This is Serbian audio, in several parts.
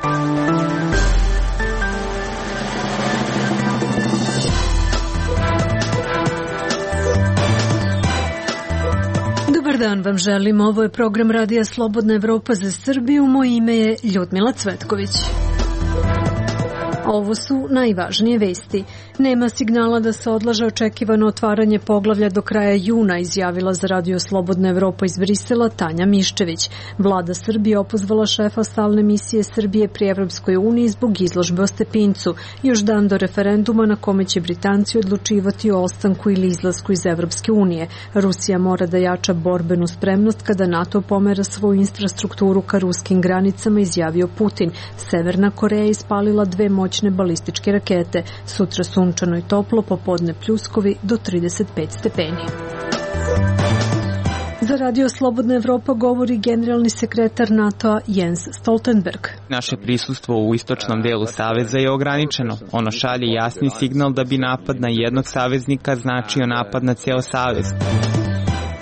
Dobar dan vam želim, ovo je program Radija Slobodna Evropa za Srbiju, moje ime je Ljudmila Cvetković. Ovo su najvažnije vesti. Nema signala da se odlaže očekivano otvaranje poglavlja do kraja juna, izjavila za Radio Slobodna Evropa iz Brisela Tanja Miščević. Vlada Srbije opozvala šefa stalne misije Srbije pri Evropskoj uniji zbog izložbe o Stepincu, još dan do referenduma na kome će Britanci odlučivati o ostanku ili izlasku iz Evropske unije. Rusija mora da jača borbenu spremnost kada NATO pomera svoju infrastrukturu ka ruskim granicama, izjavio Putin. Severna Koreja ispalila 2 moćne balističke rakete. Sutra sunčano i toplo, popodne pljuskovi do 35 stepeni. Za Radio Slobodna Evropa govori generalni sekretar NATO-a Jens Stoltenberg. Naše prisustvo u istočnom delu saveza je ograničeno. Ono šalje jasni signal da bi napad na jednog saveznika značio napad na cijel savez.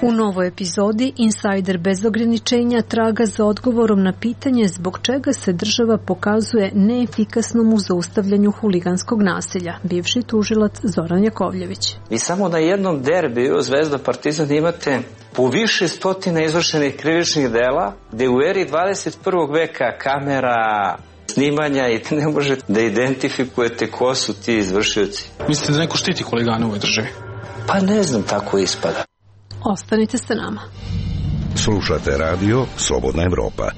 U novoj epizodi Insajder bez ograničenja traga za odgovorom na pitanje zbog čega se država pokazuje neefikasnom u zaustavljanju huliganskog nasilja. Bivši tužilac Zoran Jakovljević. Vi samo na jednom derbiju Zvezda Partizan imate po više stotina izvršenih krivičnih dela, gde u eri 21. veka kamera, snimanja i ne možete da identifikujete ko su ti izvršioci. Mislite da neko štiti huligane u ovoj državi? Pa ne znam, tako ispada. Ostanite sa nama. Slušate Radio Slobodna Evropa.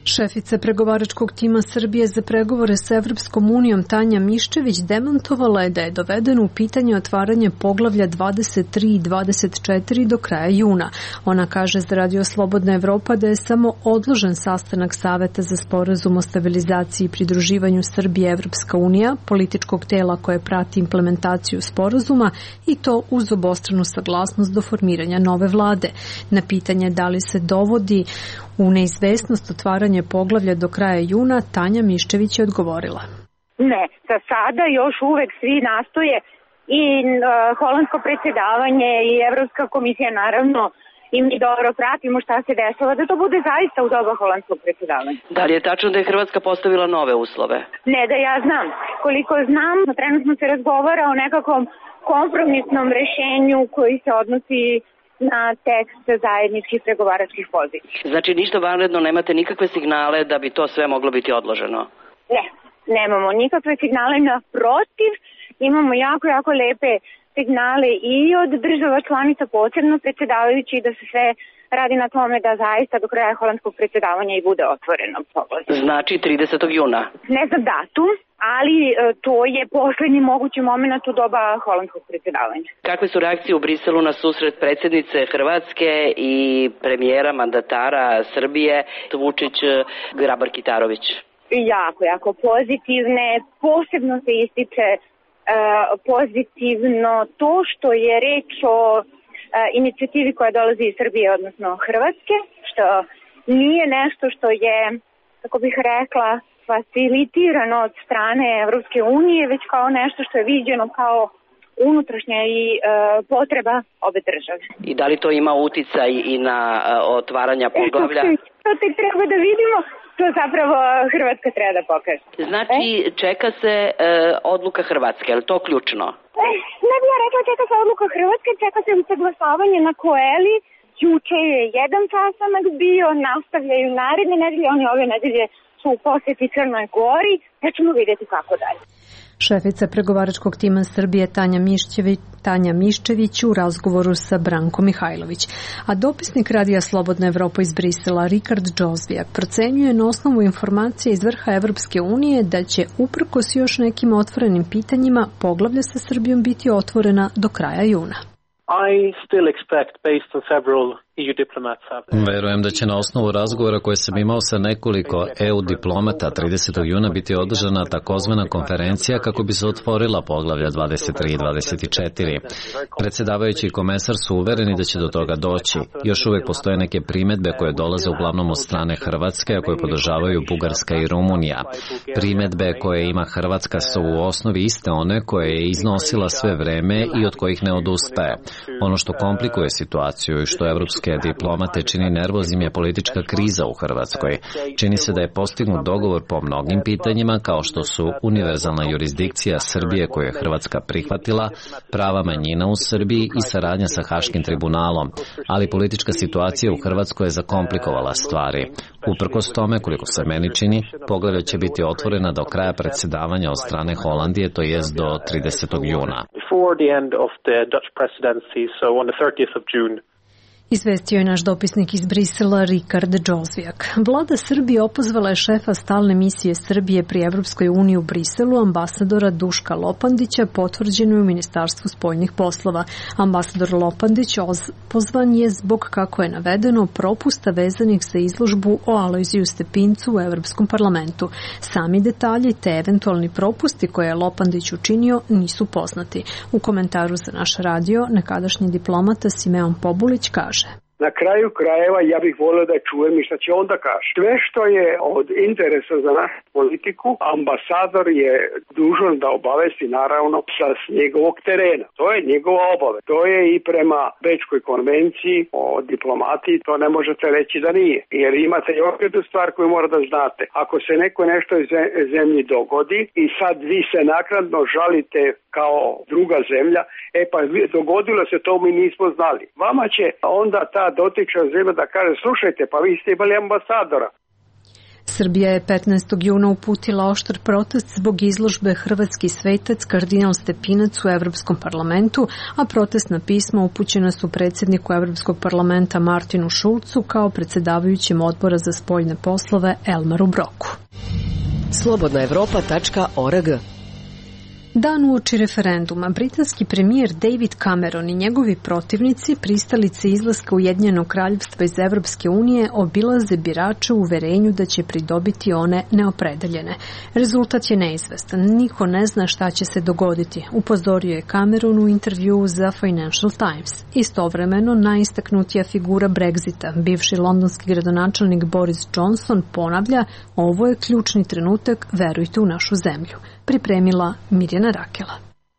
Šefica pregovaračkog tima Srbije za pregovore sa Evropskom unijom Tanja Miščević demantovala je da je dovedeno u pitanje otvaranje poglavlja 23 i 24 do kraja juna. Ona kaže za Radio Slobodna Evropa da je samo odložen sastanak Saveta za sporazum o stabilizaciji i pridruživanju Srbije Evropska unija, političkog tela koje prati implementaciju sporazuma, i to uz obostranu saglasnost do formiranja nove vlade. Na pitanje da li se dovodi u neizvesnost otvaranje poglavlja do kraja juna, Tanja Miščević je odgovorila. Ne, za sada još uvek svi nastoje i holandsko predsjedavanje i Evropska komisija naravno i mi dobro pratimo šta se dešava, da to bude zaista u doba holandskog predsjedavanja. Da li je tačno da je Hrvatska postavila nove uslove? Ne da ja znam. Koliko znam, trenutno se razgovara o nekakvom kompromisnom rešenju koji se odnosi na tekst zajedničkih pregovaračkih pozicija. Znači ništa vanredno, nemate nikakve signale da bi to sve moglo biti odloženo? Ne, nemamo nikakve signale, naprotiv, imamo jako lepe signale i od država članica, posebno predsjedavajući, da se sve radi na tome da zaista do kraja holandskog predsjedavanja i bude otvoreno poglavlje. Znači 30. juna? Ne znam datum, ali to je poslednji mogući moment u doba holandskog predsjedavanja. Kakve su reakcije u Briselu na susret predsjednice Hrvatske i premijera mandatara Srbije Vučić Grabar-Kitarović? Jako pozitivne. Posebno se ističe pozitivno to što je reč o inicijativi koja dolazi iz Srbije, odnosno Hrvatske, što nije nešto što je, kako bih rekla, facilitirano od strane Evropske unije, već kao nešto što je viđeno kao unutrašnja i potreba obe države. I da li to ima uticaj i na otvaranja poglavlja? To tek treba da vidimo. To zapravo Hrvatska treba da pokaže. Znači, čeka se odluka Hrvatske, je li to ključno? Ne bih ja rekla čeka se odluka Hrvatske, čeka se usaglašavanje na Koeli. Juče je jedan sastanak bio, nastavljaju naredne nedelje, oni ove nedelje su u poseti Crnoj Gori, pa ćemo vidjeti kako dalje. Šefica pregovaračkog tima Srbije Tanja Miščević u razgovoru sa Brankom Mihajlović. A dopisnik Radija Slobodna Evropa iz Brisela Rikard Džozvijak procenjuje na osnovu informacije iz vrha Evropske unije da će uprkos još nekim otvorenim pitanjima poglavlja sa Srbijom biti otvorena do kraja juna. Verujem da će na osnovu razgovora koje sam imao sa nekoliko EU diplomata 30. juna biti održana takozvana konferencija kako bi se otvorila poglavlja 23 i 24. Predsjedavajući i komesar su uvereni da će do toga doći. Još uvek postoje neke primedbe koje dolaze uglavnom od strane Hrvatske, a koje podržavaju Bugarska i Rumunija. Primedbe koje ima Hrvatska su u osnovi iste one koje je iznosila sve vreme i od kojih ne odustaje. Ono što komplikuje situaciju i što Evropsku britanske diplomate čini nervoznim je politička kriza u Hrvatskoj. Čini se da je postignut dogovor po mnogim pitanjima, kao što su univerzalna jurisdikcija Srbije koju je Hrvatska prihvatila, prava manjina u Srbiji i saradnja sa Haškim tribunalom, ali politička situacija u Hrvatskoj je zakomplikovala stvari. Uprkos tome, koliko se meni čini, poglavlje će biti otvorena do kraja predsjedavanja od strane Holandije, to jest do 30. juna. Izvestio je naš dopisnik iz Brisela Rikard Džozvijak. Vlada Srbije opozvala je šefa stalne misije Srbije pri Evropskoj uniji u Briselu, ambasadora Duška Lopandića, potvrđeno je u Ministarstvu spoljnih poslova. Ambasador Lopandić pozvan je zbog, kako je navedeno, propusta vezanih za izložbu o Alojziju Stepincu u Evropskom parlamentu. Sami detalji te eventualni propusti koje je Lopandić učinio nisu poznati. U komentaru za naš radio nekadašnji diplomata Simeon Pobulić kaže: Na kraju krajeva ja bih volio da čujem i šta će onda kaže. Sve što je od interesa za našu politiku, ambasador je dužan da obavesti naravno sa njegovog terena. To je njegova obaveza. To je i prema Bečkoj konvenciji o diplomatiji, to ne možete reći da nije. Jer imate još jednu stvar koju mora da znate. Ako se neko nešto iz zemlji dogodi i sad vi se naknadno žalite kao druga zemlja, pa dogodilo se to, mi nismo znali. Vama će onda ta dotična zemlja da kaže: slušajte, pa vi ste imali ambasadora. Srbija je 15. juna uputila oštar protest zbog izložbe Hrvatski svetac kardinal Stepinac u Evropskom parlamentu, a protestna pisma upućena su predsjedniku Evropskog parlamenta Martinu Šulcu kao predsjedavajućem odbora za spoljne poslove Elmaru Broku. Slobodnaevropa.org. Dan uoči referenduma, britanski premijer David Cameron i njegovi protivnici, pristalice izlaska Ujedinjenog kraljevstva iz Evropske unije, obilaze birače u uverenju da će pridobiti one neopredeljene. Rezultat je neizvestan, niko ne zna šta će se dogoditi, upozorio je Cameron u intervjuu za Financial Times. Istovremeno, najistaknutija figura Brexita, bivši londonski gradonačelnik Boris Johnson, ponavlja: ovo je ključni trenutak, verujte u našu zemlju. Pripremila Mirjana Rakela.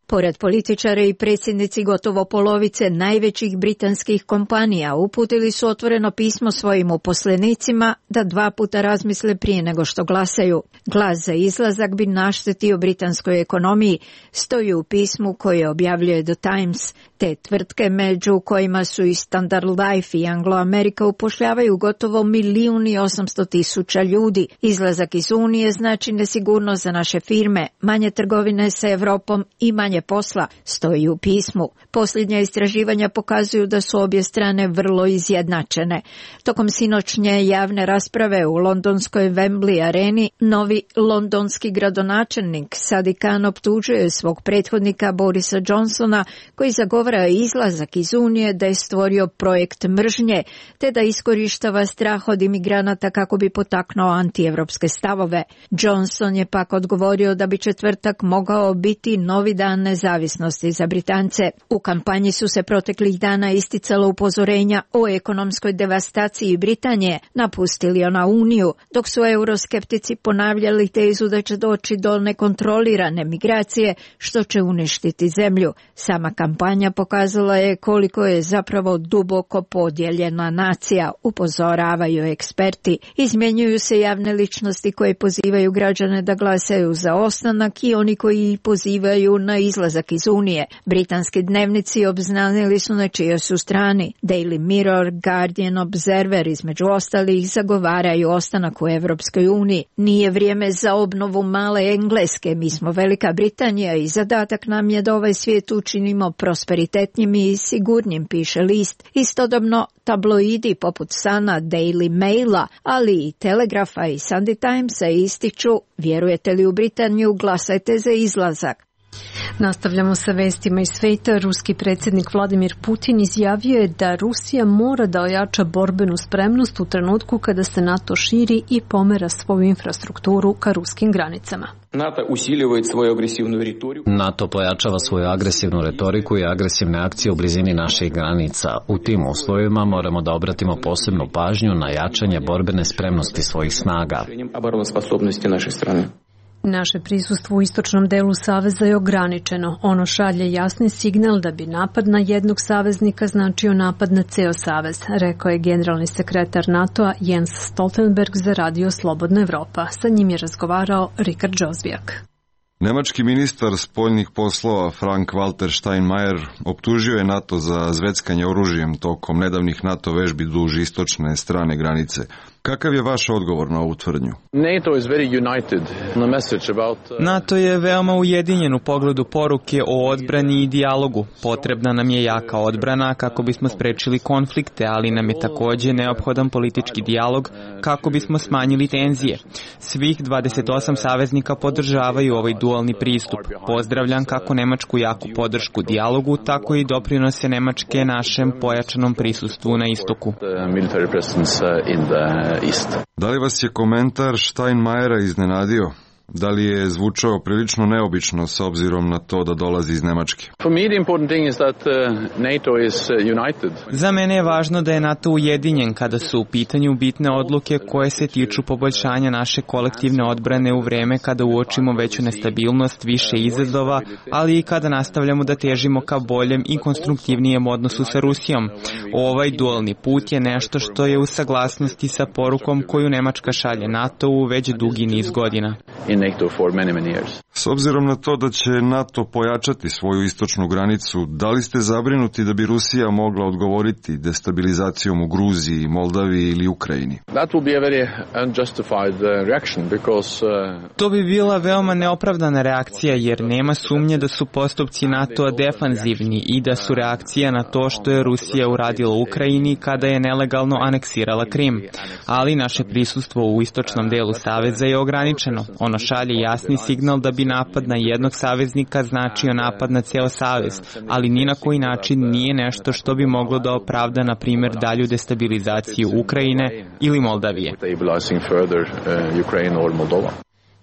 Pored političara i predsjednici gotovo polovice najvećih britanskih kompanija uputili su otvoreno pismo svojim uposlenicima da 2 puta razmisle prije nego što glasaju. Glas za izlazak bi naštetio britanskoj ekonomiji, stoji u pismu koje objavljuje The Times. Te tvrtke, među kojima su i Standard Life i Anglo-America, upošljavaju gotovo 1.800.000 ljudi. Izlazak iz Unije znači nesigurnost za naše firme, manje trgovine sa Evropom i manje posla, stoji u pismu. Posljednja istraživanja pokazuju da su obje strane vrlo izjednačene. Tokom sinoćnje javne rasprave u londonskoj Wembley areni, novi londonski gradonačelnik Sadiq Khan optužuje svog prethodnika Borisa Johnsona, koji zagovara izlazak iz Unije, da je stvorio projekt mržnje, te da iskorištava strah od imigranata kako bi potaknuo antievropske stavove. Johnson je pak odgovorio da bi četvrtak mogao biti novi dan nezavisnosti za Britance. U kampanji su se proteklih dana isticala upozorenja o ekonomskoj devastaciji Britanije, napustili ona Uniju, dok su euroskeptici ponavljali tezu da će doći do nekontrolirane migracije, što će uništiti zemlju. Sama kampanja pokazala je koliko je zapravo duboko podijeljena nacija, upozoravaju eksperti. Izmjenjuju se javne ličnosti koje pozivaju građane da glasaju za ostanak i oni koji pozivaju na izlazak iz Unije. Britanski dnevnici obznanili su na čijoj su strani. Daily Mirror, Guardian, Observer između ostalih zagovaraju ostanak u Evropskoj uniji. Nije vrijeme za obnovu male Engleske, mi smo Velika Britanija i zadatak nam je da ovaj svijet učinimo prosperitetnim i sigurnim, piše list. Istodobno tabloidi poput Sana, Daily Maila, ali i Telegrafa i Sunday Timesa ističu: vjerujete li u Britaniju, glasajte za izlazak. Nastavljamo sa vestima iz svijeta. Ruski predsjednik Vladimir Putin izjavio je da Rusija mora da ojača borbenu spremnost u trenutku kada se NATO širi i pomera svoju infrastrukturu ka ruskim granicama. NATO pojačava svoju agresivnu retoriku i agresivne akcije u blizini naših granica. U tim uslovima moramo da obratimo posebnu pažnju na jačanje borbene spremnosti svojih snaga. Naše prisustvo u istočnom delu saveza je ograničeno. Ono šalje jasni signal da bi napad na jednog saveznika značio napad na ceo savez, rekao je generalni sekretar NATO-a Jens Stoltenberg za Radio Slobodna Evropa. Sa njim je razgovarao Richard Josvijak. Nemački ministar spoljnih poslova Frank-Walter Steinmeier optužio je NATO za zveckanje oružjem tokom nedavnih NATO vežbi duž istočne strane granice. Kakav je vaš odgovor na ovu tvrdnju? NATO je veoma ujedinjen u pogledu poruke o odbrani i dijalogu. Potrebna nam je jaka odbrana kako bismo sprečili konflikte, ali nam je takođe neophodan politički dijalog kako bismo smanjili tenzije. Svih 28 saveznika podržavaju ovaj dualni pristup. Pozdravljam kako nemačku jaku podršku dijalogu, tako i doprinose Nemačke našem pojačanom prisustvu na istoku. Da li vas je komentar Steinmeiera iznenadio? Da li je zvučao prilično neobično s obzirom na to da dolazi iz Nemačke? Za mene je važno da je NATO ujedinjen kada su u pitanju bitne odluke koje se tiču poboljšanja naše kolektivne odbrane u vreme kada uočimo veću nestabilnost, više izazova, ali i kada nastavljamo da težimo ka boljem i konstruktivnijem odnosu sa Rusijom. Ovaj dualni put je nešto što je u saglasnosti sa porukom koju Nemačka šalje NATO-u već dugi niz godina. S obzirom na to da će NATO pojačati svoju istočnu granicu, da li ste zabrinuti da bi Rusija mogla odgovoriti destabilizacijom u Gruziji, Moldaviji ili Ukrajini? To bi bila veoma neopravdana reakcija jer nema sumnje da su postupci NATO-a defanzivni i da su reakcija na to što je Rusija uradila u Ukrajini kada je nelegalno aneksirala Krim. Ali naše prisustvo u istočnom delu saveza je ograničeno. Ono šalje jasni signal da bi napad na jednog saveznika značio napad na ceo savez, ali ni na koji način nije nešto što bi moglo da opravda, na primjer, dalju destabilizaciju Ukrajine ili Moldavije.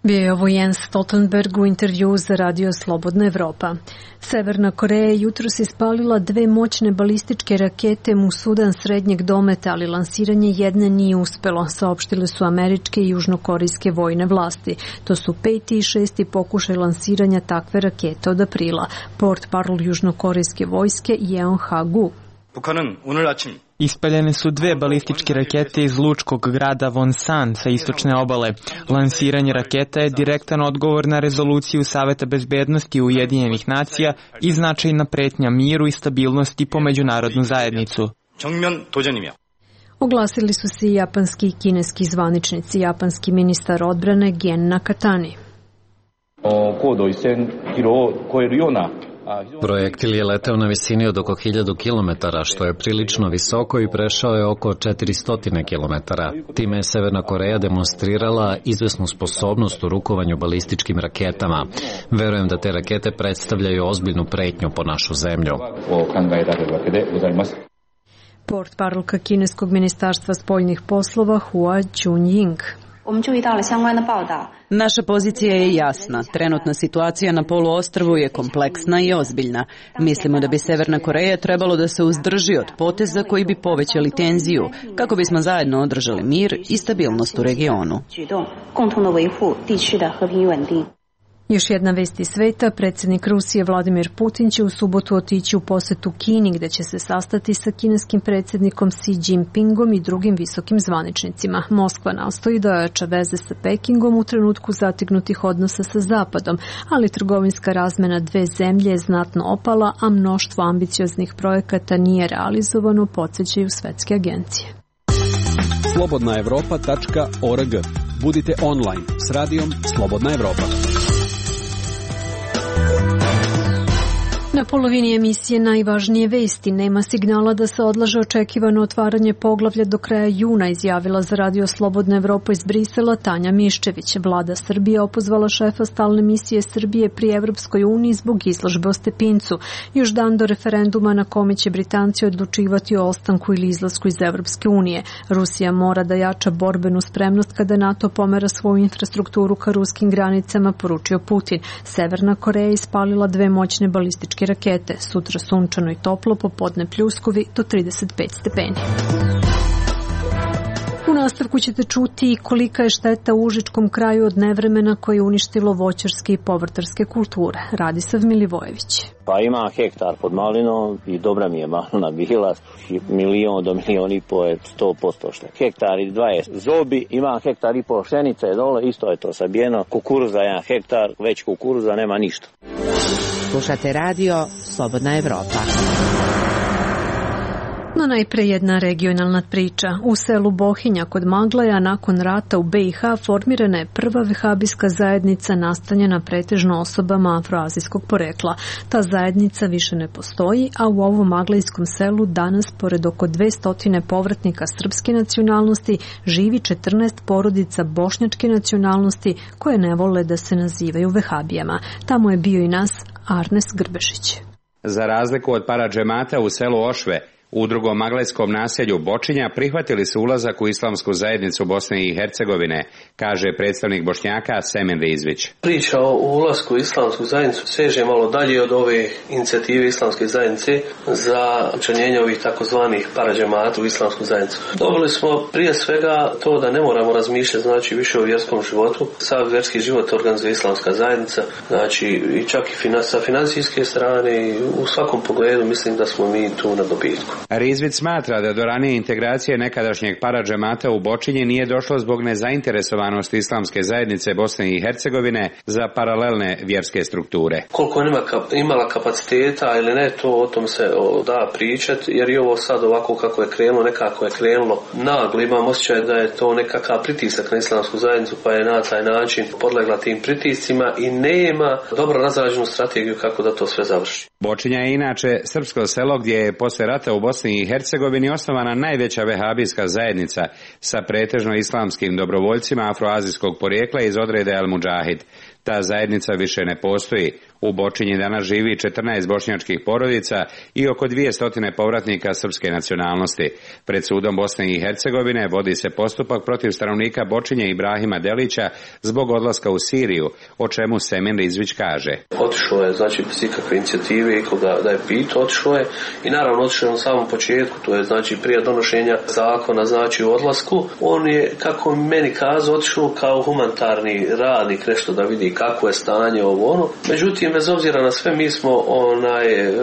Bio je ovo Jens Stoltenberg u intervju za Radio Slobodna Evropa. Severna Koreja je jutros ispalila 2 moćne balističke rakete u Sudan srednjeg dometa, ali lansiranje jedne nije uspelo, saopštile su američke i južnokorejske vojne vlasti. To su 5. i 6. pokušaj lansiranja takve rakete od aprila. Portparol južnokorejske vojske Yeonhagu. Ispaljene su 2 balističke rakete iz lučkog grada Wonsan sa istočne obale. Lansiranje raketa je direktan odgovor na rezoluciju Saveta bezbednosti Ujedinjenih nacija i značajna pretnja miru i stabilnosti po međunarodnu zajednicu. Oglasili su se i japanski i kineski zvaničnici. Japanski ministar odbrane Gen Nakatani. Projektil je leteo na visini od oko 1000 km, što je prilično visoko i prešao je oko 400 km. Time je Severna Koreja demonstrirala izvesnu sposobnost u rukovanju balističkim raketama. Verujem da te rakete predstavljaju ozbiljnu pretnju po našu zemlju. Portparolka kineskog ministarstva spoljnih poslova Hua Chunying. Naša pozicija je jasna. Trenutna situacija na poluostrvu je kompleksna i ozbiljna. Mislimo da bi Severna Koreja trebalo da se uzdrži od poteza koji bi povećali tenziju, kako bismo zajedno održali mir i stabilnost u regionu. Još jedna vest iz sveta, predsjednik Rusije Vladimir Putin će u subotu otići u posetu Kini, gde će se sastati sa kineskim predsjednikom Xi Jinpingom i drugim visokim zvaničnicima. Moskva nastoji da ojača veze sa Pekingom u trenutku zatignutih odnosa sa Zapadom, ali trgovinska razmena dve zemlje je znatno opala, a mnoštvo ambicioznih projekata nije realizovano, podsjećaju svetske agencije. slobodnaevropa.org. Budite online s radijom Slobodna Evropa. Na polovini emisije najvažnije vesti. Nema signala da se odlaže očekivano otvaranje poglavlja do kraja juna, izjavila za Radio Slobodna Evropa iz Brisela Tanja Miščević. Vlada Srbije opozvala šefa stalne misije Srbije pri Evropskoj uniji zbog izložbe o Stepincu. Još dan do referenduma na kome će Britanci odlučivati o ostanku ili izlasku iz Evropske unije. Rusija mora da jača borbenu spremnost kada NATO pomera svoju infrastrukturu ka ruskim granicama, poručio Putin. Severna Koreja ispalila 2 moćne balističke rakete. Sutra sunčano i toplo, popodne pljuskovi do 35 stepeni. U nastavku ćete čuti kolika je šteta u užičkom kraju od nevremena koje je uništilo voćarske i povrtarske kulture. Radisav Milivojević. Pa ima hektar pod malinom i dobra mi je malina bila, 1 do 1,5 miliona je 100% šte. Hektar i 20 zobi, ima hektar i pol pšenice dole, isto je to sabijeno. Kukuruza 1 hektar, već kukuruza nema ništa. Slušate radio Slobodna Evropa. No najpre jedna regionalna priča. U selu Bohinja kod Maglaja nakon rata u BiH formirana je prva vehabijska zajednica nastanjena pretežno osobama afroazijskog porekla. Ta zajednica više ne postoji, a u ovom maglajskom selu danas, pored oko 200 povratnika srpske nacionalnosti, živi 14 porodica bošnjačke nacionalnosti koje ne vole da se nazivaju vehabijama. Tamo je bio i nas Arnes Grbešić. Za razliku od paradžemata u selu Ošve, u drugom maglajskom naselju Bočinja prihvatili su ulazak u islamsku zajednicu Bosne i Hercegovine, kaže predstavnik Bošnjaka Semen Rizvić. Priča o ulasku u islamsku zajednicu seže malo dalje od ove inicijative islamske zajednice za učlanjenje ovih takozvanih paradžemata u islamsku zajednicu. Dobili smo prije svega to da ne moramo razmišljati znači više o vjerskom životu. Sav vjerski život organizuje islamska zajednica, znači i čak i sa financijske strane i u svakom pogledu mislim da smo mi tu na dobitku. Rizvić smatra da do ranije integracije nekadašnjeg paradžemata u Bočinji nije došlo zbog nezainteresovanosti islamske zajednice Bosne i Hercegovine za paralelne vjerske strukture. Koliko on imala kapaciteta ili ne, to o tom se da pričati, jer i ovo sad ovako kako je krenulo, nekako je krenulo naglo. Imam osjećaj da je to nekakav pritisak na islamsku zajednicu, pa je na taj način podlegla tim pritiscima i nema dobro razrađenu strategiju kako da to sve završi. Bočinja je inače srpsko selo gdje je posle rata u Bosni i Hercegovini osnovana najveća vehabijska zajednica sa pretežno islamskim dobrovoljcima afroazijskog porijekla iz odreda El Mudžahid. Ta zajednica više ne postoji. U Bočinji danas živi 14 bošnjačkih porodica i oko 200 povratnika srpske nacionalnosti. Pred sudom Bosne i Hercegovine vodi se postupak protiv stanovnika Bočinje Ibrahima Delića zbog odlaska u Siriju, o čemu Semen Rizvić kaže. Otišao je, znači, bez ikakve inicijative i koga da je pitao, otišao je i naravno otišao je na samom početku, to je znači prije donošenja zakona, znači u odlasku. On je, kako meni kazao, otišao kao humanitarni radnik, nešto da vidi kako je stanje ovo ono. Međutim, bez obzira na sve, mi smo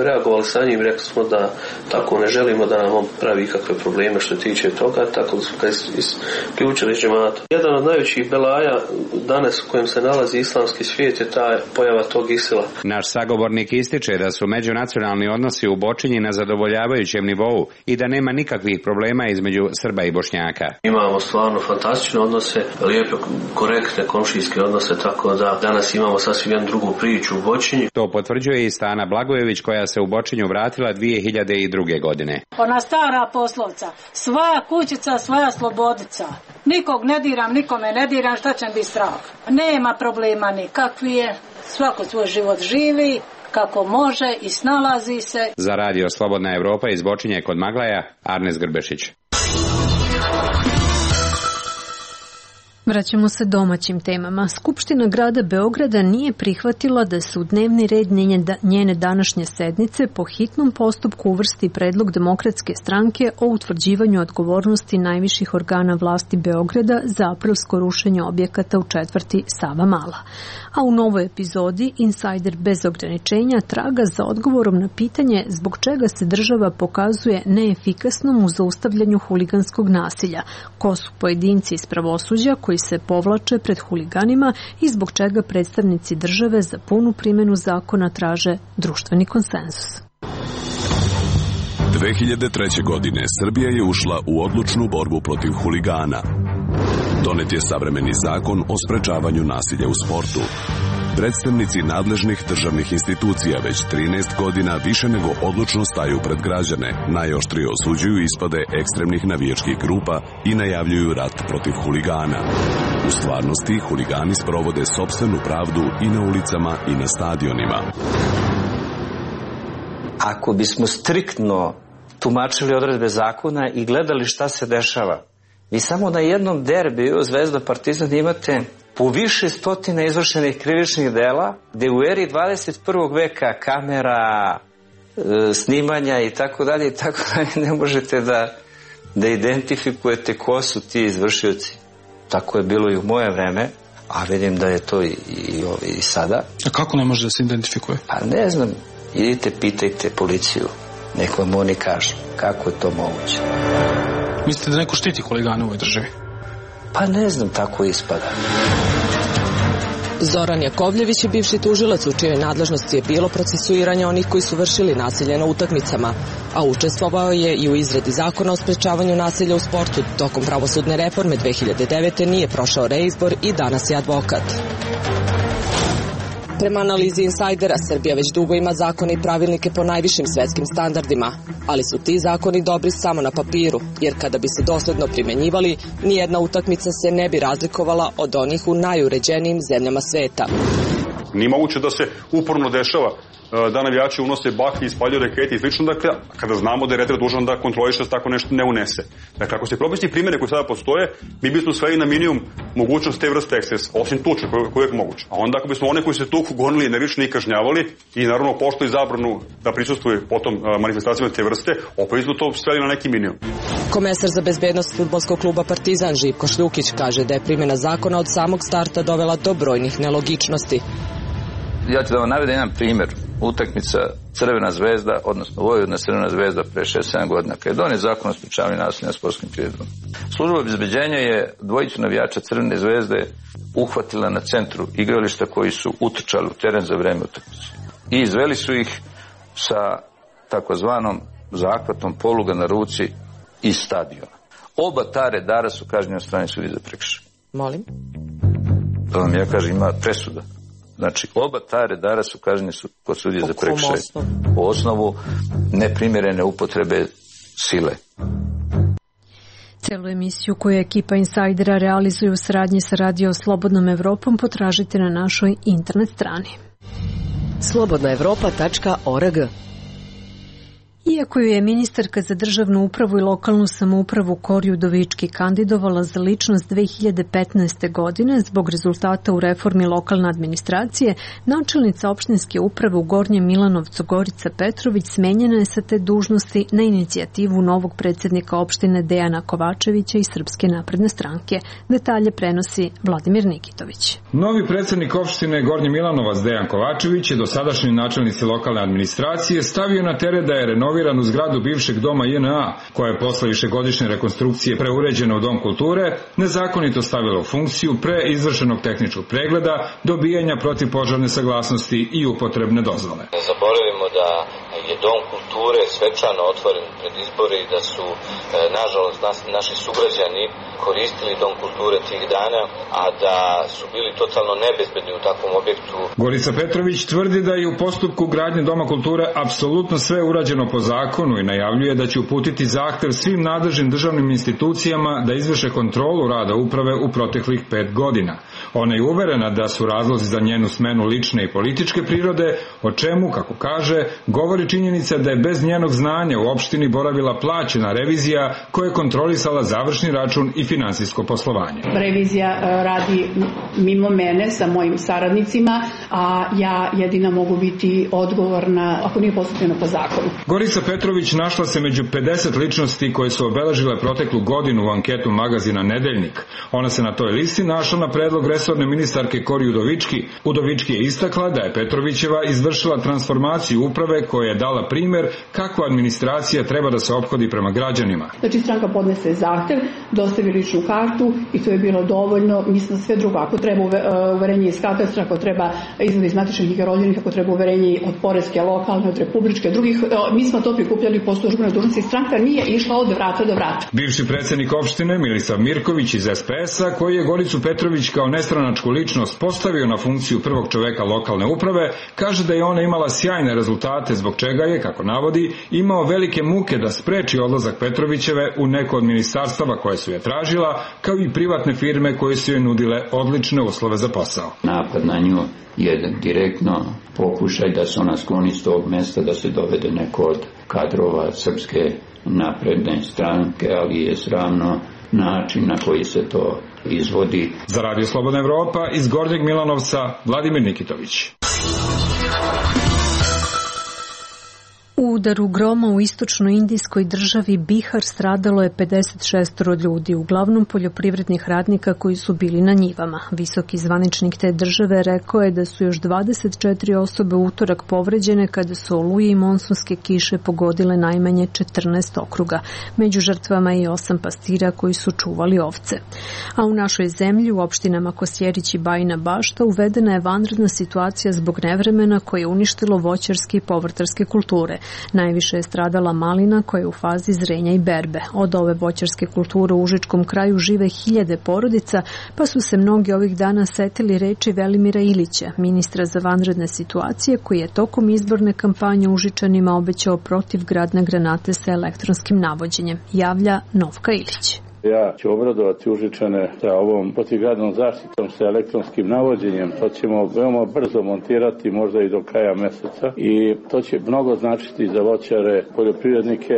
reagovali sa njim, rekli smo da tako ne želimo da nam on pravi kakve probleme što tiče toga, tako da su ga isključili iz džemata. Jedan od najvećih belaja danas u kojem se nalazi islamski svijet je ta pojava tog Isila. Naš sagovornik ističe da su međunacionalni odnosi u Bočinji na zadovoljavajućem nivou i da nema nikakvih problema između Srba i Bošnjaka. Imamo stvarno fantastične odnose, lijepe, korektne komšijske odnose, tako da danas imamo sasvim jednu drugu priču u Bočinji. To potvrđuje i Stana Blagojević koja se u Bočinju vratila 2002. godine. Ona stara poslovca, svoja kućica, svoja slobodica. Nikog ne diram, nikome ne diram, šta će mi biti strah. Nema problema nikakvi je, svako svoj život živi kako može i snalazi se. Za radio Slobodna Evropa iz Bočinje kod Maglaja, Arnes Grbešić. Vraćamo se domaćim temama. Skupština grada Beograda nije prihvatila da se u dnevni red njene današnje sednice po hitnom postupku uvrsti predlog Demokratske stranke o utvrđivanju odgovornosti najviših organa vlasti Beograda za aprilsko rušenje objekata u četvrti Savamala. A u novoj epizodi Insajder bez ograničenja traga za odgovorom na pitanje zbog čega se država pokazuje neefikasnom u zaustavljanju huliganskog nasilja, ko su pojedinci iz pravosuđa koji se povlače pred huliganima i zbog čega predstavnici države za punu primjenu zakona traže društveni konsenzus. 2003. godine Srbija je ušla u odlučnu borbu protiv huligana. Donet je savremeni zakon o sprečavanju nasilja u sportu. Predstavnici nadležnih državnih institucija već 13 godina više nego odlučno staju pred građane, najoštrije osuđuju ispade ekstremnih navijačkih grupa i najavljuju rat protiv huligana. U stvarnosti, huligani sprovode sopstvenu pravdu i na ulicama i na stadionima. Ako bismo striktno tumačili odredbe zakona i gledali šta se dešava, vi samo na jednom derbiju Zvezda Partizan imate po više stotina izvršenih krivičnih dela, gde u eri 21. veka kamera, snimanja i tako dalje ne možete da identifikujete ko su ti izvršioci. Tako je bilo i u moje vreme, a vidim da je to i sada. A kako ne može da se identifikuje? Pa ne znam, idite pitajte policiju, nek vam oni kažu kako je to moguće. Mislite da neko štiti huligane u ovoj državi? Pa ne znam, tako ispada. Zoran Jakovljević je bivši tužilac u čijoj nadležnosti je bilo procesuiranje onih koji su vršili nasilje na utakmicama, a učestvovao je i u izradi zakona o sprečavanju nasilja u sportu. Tokom pravosudne reforme 2009. nije prošao reizbor i danas je advokat. Prema analizi insajdera, Srbija već dugo ima zakone i pravilnike po najvišim svetskim standardima, ali su ti zakoni dobri samo na papiru, jer kada bi se dosledno primenjivali, nijedna utakmica se ne bi razlikovala od onih u najuređenijim zemljama sveta. Nije moguće da se uporno dešava da navijači unose baklje, ispaljuju rakete i slično, dakle, kada znamo da je reter dužan da kontroliše da tako nešto ne unese. Dakle, ako se propisni primjere koji sada postoje, mi bismo sveli na minimum mogućnost te vrste ekscesa, osim tuče koji je uvijek moguće. A onda ako bismo one koji se tuku gonili nervično i kažnjavali i naravno poštovali zabranu da prisustvuje potom manifestacijama te vrste, opet bismo to sveli na neki minimum. Komesar za bezbednost fudbalskog kluba Partizan Živko Šljukić kaže da je primjena zakona od samog starta dovela do brojnih nelogičnosti. Ja ću da vam navedem jedan primjer. Utakmica Crvena zvezda, odnosno Vojvodina Crvena zvezda pre 6-7 godina, kada je donet zakon o sprečavanju nasilja na sportskim priredbama. Služba obezbeđenja je dvojicu navijača Crvene zvezde uhvatila na centru igrališta koji su utrčali u teren za vreme utakmice. I izveli su ih sa takozvanom zahvatom poluga na ruci iz stadiona. Oba ta redara su kažnjeni od strane sudije za prekršaj. Molim? Da vam ja kažem, ima presuda. Znači, oba ta redara su kažnjeni kod sudije za prekršaj. Po osnovu neprimjerene upotrebe sile. Celu emisiju koju ekipa Insajdera realizuje u saradnji sa Radio Slobodnom Evropom potražite na našoj internet strani. slobodnaevropa.org. Iako ju je ministarka za državnu upravu i lokalnu samoupravu Kori Udovički kandidovala za ličnost 2015. godine zbog rezultata u reformi lokalne administracije, načelnica opštinske uprave u Gornjem Milanovcu Gorica Petrović smenjena je sa te dužnosti na inicijativu novog predsjednika opštine Dejana Kovačevića iz Srpske napredne stranke. Detalje prenosi Vladimir Nikitović. Novi predsjednik opštine Gornji Milanovac Dejan Kovačević je dosadašnji načelnici lokalne administracije stavio na teret da je renoviranu zgradu bivšeg doma JNA, koja je posle višegodišnje rekonstrukcije preuređena u Dom kulture, nezakonito stavila u funkciju pre izvršenog tehničkog pregleda, dobijanja protivpožarne saglasnosti i upotrebne dozvole. Ne zaboravimo da je Dom kulture svečano otvoren pred izbore i da su, nažalost, naši sugrađani koristili Dom kulture tih dana, a da su bili totalno nebezbedni u takvom objektu. Gorica Petrović tvrdi da je u postupku gradnje Doma kulture apsolutno sve urađeno po zakonu i najavljuje da će uputiti zahtev svim nadležnim državnim institucijama da izvrše kontrolu rada uprave u proteklih 5 godina. Ona je uverena da su razlozi za njenu smenu lične i političke prirode, o čemu, kako kaže, govori činjenica da je bez njenog znanja u opštini boravila plaćena revizija koja je kontrolisala završni račun i finansijsko poslovanje. Revizija radi mimo mene sa mojim saradnicima, a ja jedina mogu biti odgovorna ako nije postupljeno po zakonu. Gorica Petrović našla se među 50 ličnosti koje su obeležile proteklu godinu u anketu magazina Nedeljnik. Ona se na toj listi našla na predlog resorne ministarke Kori Udovički. Udovički je istakla da je Petrovićeva izvršila transformaciju uprave koja je dala primjer kako administracija treba da se ophodi prema građanima. Znači stranka podnese zahtev, dostavi ličnu kartu i to je bilo dovoljno. Mi smo sve drugo. Ako treba uverenje iz katastra, ako treba izvod iz matičnih knjiga rođenih, ako treba uverenje od poreske, lokalne, od republičke, drugih, mi smo to prikupljali po službenoj dužnosti. Stranka nije išla od vrata do vrata. Bivši predsjednik opštine Milisav Mirković iz SPS-a, koji je Goricu Petrović kao nestranačku ličnost postavio na funkciju prvog čoveka lokalne uprave, kaže da je ona imala sjajne rezultate, zbog čega je, kako navodi, imao velike muke da spreči odlazak Petrovićeve u neko od ministarstava koje su je tražila, kao i privatne firme koje su je nudile odlične uslove za posao. Napad na nju je direktno pokušaj da se ona skloni s tog mesta, da se dovede neko od kadrova Srpske napredne stranke, ali je sramno način na koji se to izvodi. Za Radio Slobodna Evropa iz Gornjeg Milanovca, Vladimir Nikitović. U udaru groma u istočno-indijskoj državi Bihar stradalo je 56 ljudi, uglavnom poljoprivrednih radnika koji su bili na njivama. Visoki zvaničnik te države rekao je da su još 24 osobe u utorak povređene kada su oluje i monsunske kiše pogodile najmanje 14 okruga. Među žrtvama je i 8 pastira koji su čuvali ovce. A u našoj zemlji, u opštinama Kosjerić i Bajina Bašta, uvedena je vanredna situacija zbog nevremena koje je uništilo voćarske i povrtarske kulture. Najviše je stradala malina koja je u fazi zrenja i berbe. Od ove voćarske kulture u Užičkom kraju žive 1000 porodica, pa su se mnogi ovih dana setili reči Velimira Ilića, ministra za vanredne situacije, koji je tokom izborne kampanje Užičanima obećao protivgradne granate sa elektronskim navođenjem. Javlja Novka Ilić. Ja ću obradovati Užičane sa ovom protivgradnom zaštitom sa elektronskim navođenjem. To ćemo veoma brzo montirati, možda i do kraja meseca, i to će mnogo značiti za voćare, poljoprivrednike,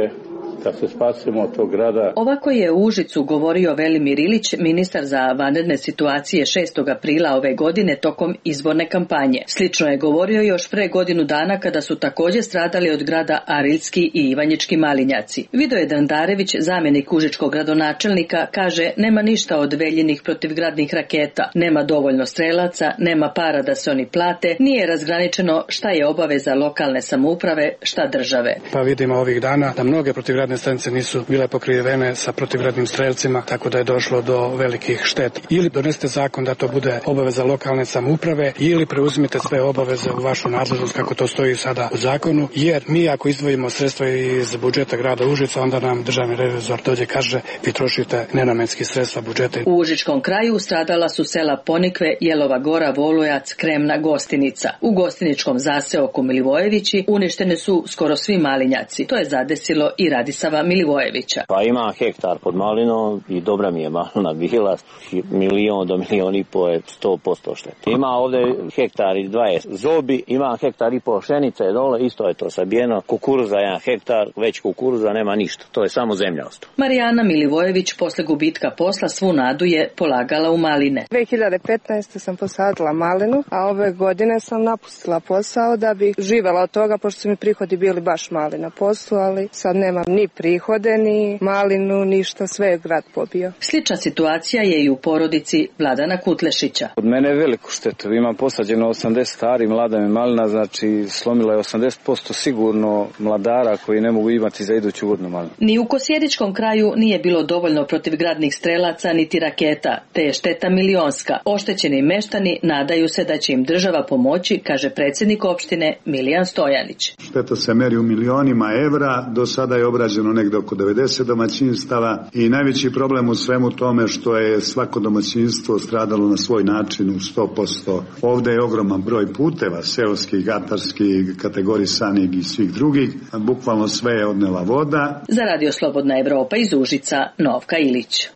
da se spasimo od tog grada. Ovako je u Užicu govorio Velimir Ilić, ministar za vanredne situacije 6. aprila ove godine tokom izborne kampanje. Slično je govorio još pre godinu dana kada su također stradali od grada Ariljski i Ivanjički Malinjaci. Vidoje Dandarević, zamjenik užičkog gradonačelnika, kaže nema ništa od veljenih protivgradnih raketa, nema dovoljno strelaca, nema para da se oni plate, nije razgraničeno šta je obaveza lokalne samouprave, šta države. Pa vidimo ovih dana da mnoge protivgradne stanice nisu bile pokrivene sa protivgradnim strelcima, tako da je došlo do velikih šteta. Ili donesete zakon da to bude obaveza lokalne samouprave, ili preuzmite sve obaveze u vašu nadležnost kako to stoji sada u zakonu, jer mi ako izdvojimo sredstva iz budžeta grada Užica, onda nam državni revizor dođe kaže vi trošite nenamenski sredstva budžeta. U Užičkom kraju stradala su sela Ponikve, Jelova Gora, Volujac, Kremna, Gostinica. U Gostiničkom zaseoku Milivojevići uništene su skoro svi malinjaci. To je zadesilo i Radisava Milivojevića. Pa ima hektar pod malinom i dobra mi je malina bila, 1 do 1,5 miliona je 100% šteta. Ima ovde hektar i 20 zobi, ima hektar i pol pšenice dole, isto je to sabijeno, kukuruza 1 hektar, već kukuruza nema ništa, to je samo zemlja ostala. Marijana Milivojević posle gubitka posla svu nadu je polagala u maline. 2015. sam posadila malinu, a ove godine sam napustila posao da bi živela od toga, pošto su mi prihodi bili baš mali na poslu, ali sad nemam ni prihode, ni malinu, ništa, sve je grad pobio. Slična situacija je i u porodici Vladana Kutlešića. Od mene je veliku štetu, imam posađeno 80 stari, mlada mi malina, znači slomila je 80% sigurno mladara koji ne mogu imati za iduću godinu malinu. Ni u Kosjeričkom kraju nije bilo dovoljno protivgradnih strelaca niti raketa, te je šteta milionska. Oštećeni meštani nadaju se da će im država pomoći, kaže predsjednik opštine Milijan Stojanić. Šteta se meri u milionima evra, do sada je obrađeno negde oko 90 domaćinstava i najveći problem u svemu tome što je svako domaćinstvo stradalo na svoj način u 100%. Ovde je ogroman broj puteva, seoskih, gatarskih, kategorisanih i svih drugih. Bukvalno sve je odnela voda. Za Radio Slobodna Evropa iz Užica, Novka Ilić.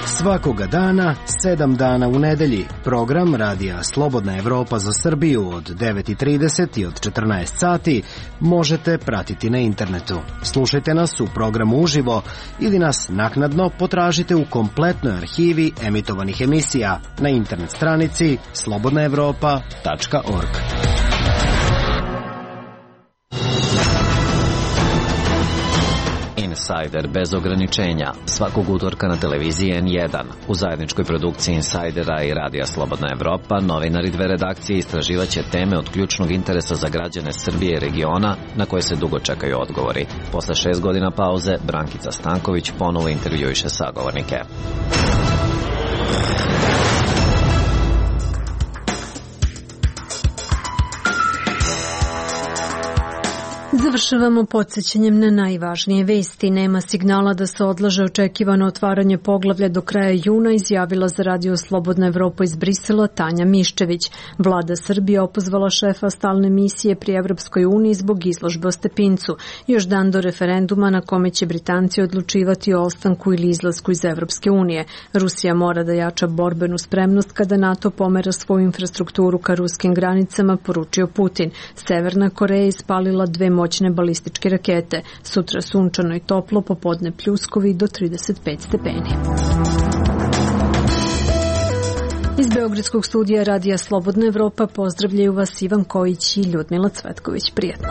Svakoga dana, 7 dana u nedelji, program Radija Slobodna Evropa za Srbiju od 9:30 i od 14 sati možete pratiti na internetu. Slušajte nas u programu uživo ili nas naknadno potražite u kompletnoj arhivi emitovanih emisija na internet stranici slobodnaevropa.org. Insider bez ograničenja, svakog utorka na televiziji N1. U zajedničkoj produkciji Insidera i Radija Slobodna Evropa, novinari 2 redakcije istraživaće teme od ključnog interesa za građane Srbije i regiona na koje se dugo čekaju odgovori. Posle 6 godina pauze, Brankica Stanković ponovo intervjuiše sagovornike. Završavamo podsjećanjem na najvažnije vesti. Nema signala da se odlaže očekivano otvaranje poglavlja do kraja juna, izjavila za Radio Slobodna Evropa iz Brisela Tanja Miščević. Vlada Srbije opozvala šefa stalne misije pri Evropskoj uniji zbog izložbe o Stepincu. Još dan do referenduma na kome će Britanci odlučivati o ostanku ili izlasku iz Evropske unije. Rusija mora da jača borbenu spremnost kada NATO pomera svoju infrastrukturu ka ruskim granicama, poručio Putin. Severna Koreja ispalila 2 moćne balističke rakete. Sutra sunčano i toplo, popodne pljuskovi do 35 stepeni. Iz Beogradskog studija Radija Slobodna Evropa pozdravljaju vas Ivan Kojić i Ljudmila Cvetković. Prijetno.